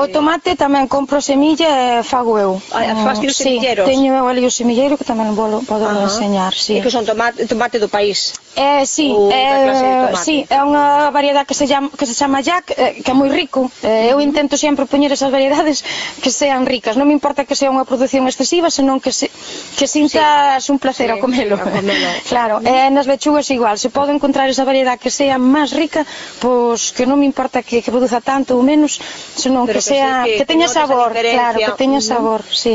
O tomate tamén compro semilla e fago eu. Faste os semilleros? Teño eu ali o semilleiro que tamén podo enseñar, E que son tomate do país? Sí, é unha variedade que se chama Jack, que é moi rico. Eu intento sempre poñer esas variedades que sean ricas. Non me importa que sea unha produción excesiva, senón que sintas un placer ao comelo. Claro, e nas lechugas igual. Se podo encontrar esa variedade que sea máis rica, pois que non me importa que produza tanto ou menos, senón que teña sabor, claro, que teña sabor, sí.